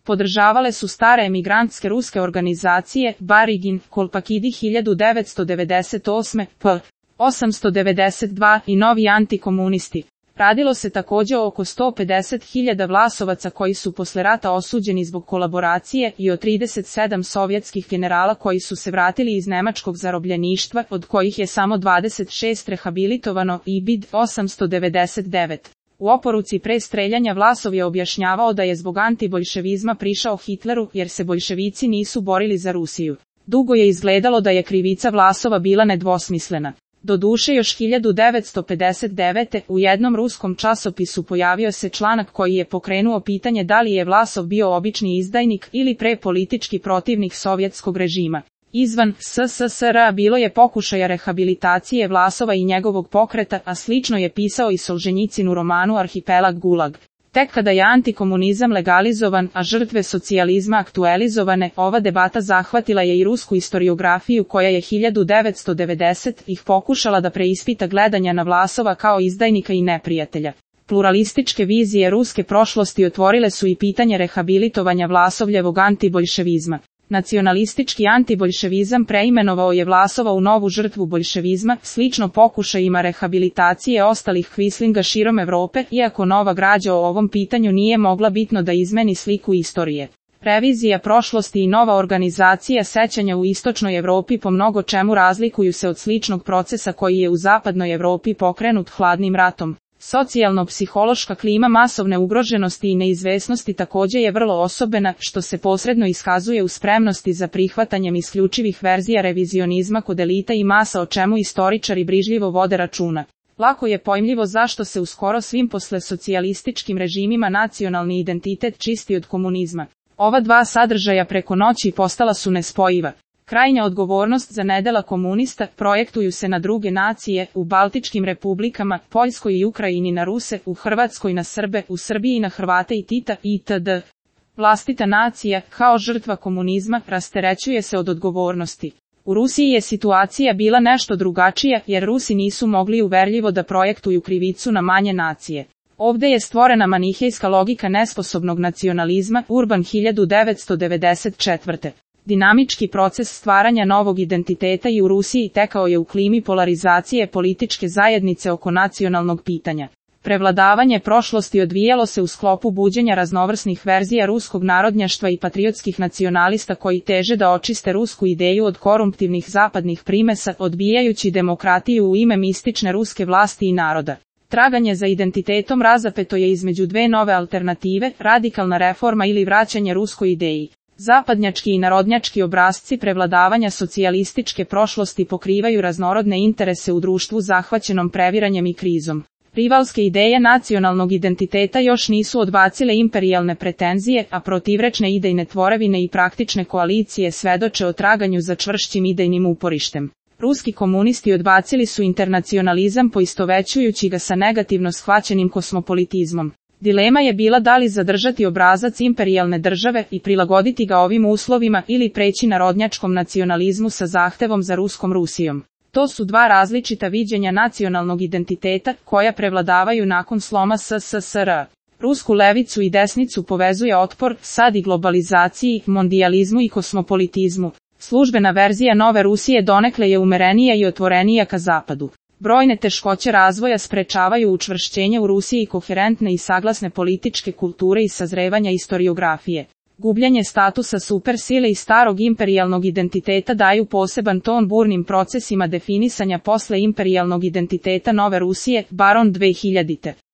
Podržavale su stare emigrantske ruske organizacije Barigin, Kolpakidi 1998, p. 892 i novi antikomunisti. Radilo se također oko 150.000 Vlasovaca koji su posle rata osuđeni zbog kolaboracije i o 37 sovjetskih generala koji su se vratili iz nemačkog zarobljeništva, od kojih je samo 26 rehabilitovano i BID 899. U oporuci pre streljanja Vlasov je objašnjavao da je zbog antiboljševizma prišao Hitleru jer se boljševici nisu borili za Rusiju. Dugo je izgledalo da je krivica Vlasova bila nedvosmislena. Doduše još 1959. u jednom ruskom časopisu pojavio se članak koji je pokrenuo pitanje da li je Vlasov bio obični izdajnik ili prepolitički protivnik sovjetskog režima. Izvan SSSR bilo je pokušaja rehabilitacije Vlasova i njegovog pokreta, a slično je pisao i Solženjicin u romanu Arhipelag Gulag. Tek kada je antikomunizam legalizovan, a žrtve socijalizma aktualizovane, ova debata zahvatila je i rusku historiografiju koja je 1990-ih pokušala da preispita gledanja na Vlasova kao izdajnika i neprijatelja. Pluralističke vizije ruske prošlosti otvorile su i pitanje rehabilitovanja Vlasovljevog antiboljševizma. Nacionalistički antiboljševizam preimenovao je Vlasova u novu žrtvu boljševizma, slično pokušajima rehabilitacije ostalih kvislinga širom Evrope, iako nova građa o ovom pitanju nije mogla bitno da izmeni sliku istorije. Revizija prošlosti i nova organizacija sećanja u istočnoj Evropi po mnogo čemu razlikuju se od sličnog procesa koji je u zapadnoj Evropi pokrenut hladnim ratom. Socijalno-psihološka klima masovne ugroženosti i neizvesnosti također je vrlo osobena, što se posredno iskazuje u spremnosti za prihvatanjem isključivih verzija revizionizma kod elita i masa, o čemu istoričari brižljivo vode računa. Lako je pojmljivo zašto se u skoro svim poslesocijalističkim režimima nacionalni identitet čisti od komunizma. Ova dva sadržaja preko noći postala su nespojiva. Krajnja odgovornost za nedela komunista projektuju se na druge nacije, u Baltičkim republikama, Poljskoj i Ukrajini na Ruse, u Hrvatskoj na Srbe, u Srbiji na Hrvate i Tita itd. Vlastita nacija, kao žrtva komunizma, rasterećuje se od odgovornosti. U Rusiji je situacija bila nešto drugačija, jer Rusi nisu mogli uverljivo da projektuju krivicu na manje nacije. Ovdje je stvorena manihejska logika nesposobnog nacionalizma, Urban 1994. Dinamički proces stvaranja novog identiteta i u Rusiji tekao je u klimi polarizacije političke zajednice oko nacionalnog pitanja. Prevladavanje prošlosti odvijalo se u sklopu buđenja raznovrsnih verzija ruskog narodnjaštva i patriotskih nacionalista koji teže da očiste rusku ideju od korumptivnih zapadnih primesa, odbijajući demokratiju u ime mistične ruske vlasti i naroda. Traganje za identitetom razapeto je između dve nove alternative, radikalna reforma ili vraćanje ruskoj ideji. Zapadnjački i narodnjački obrasci prevladavanja socijalističke prošlosti pokrivaju raznorodne interese u društvu zahvaćenom previranjem i krizom. Rivalske ideje nacionalnog identiteta još nisu odbacile imperijalne pretenzije, a protivrečne idejne tvorevine i praktične koalicije svedoče o traganju za čvršćim idejnim uporištem. Ruski komunisti odbacili su internacionalizam poistovećujući ga sa negativno shvaćenim kosmopolitizmom. Dilema je bila da li zadržati obrazac imperijalne države i prilagoditi ga ovim uslovima ili preći narodnjačkom nacionalizmu sa zahtevom za ruskom Rusijom. To su dva različita viđenja nacionalnog identiteta koja prevladavaju nakon sloma SSSR. Rusku levicu i desnicu povezuje otpor, sad i globalizaciji, mondijalizmu i kosmopolitizmu. Službena verzija nove Rusije donekle je umerenija i otvorenija ka zapadu. Brojne teškoće razvoja sprečavaju učvršćenje u Rusiji koherentne i saglasne političke kulture i sazrevanja istoriografije. Gubljenje statusa supersile i starog imperijalnog identiteta daju poseban ton burnim procesima definisanja posle imperijalnog identiteta nove Rusije, Baron 2000.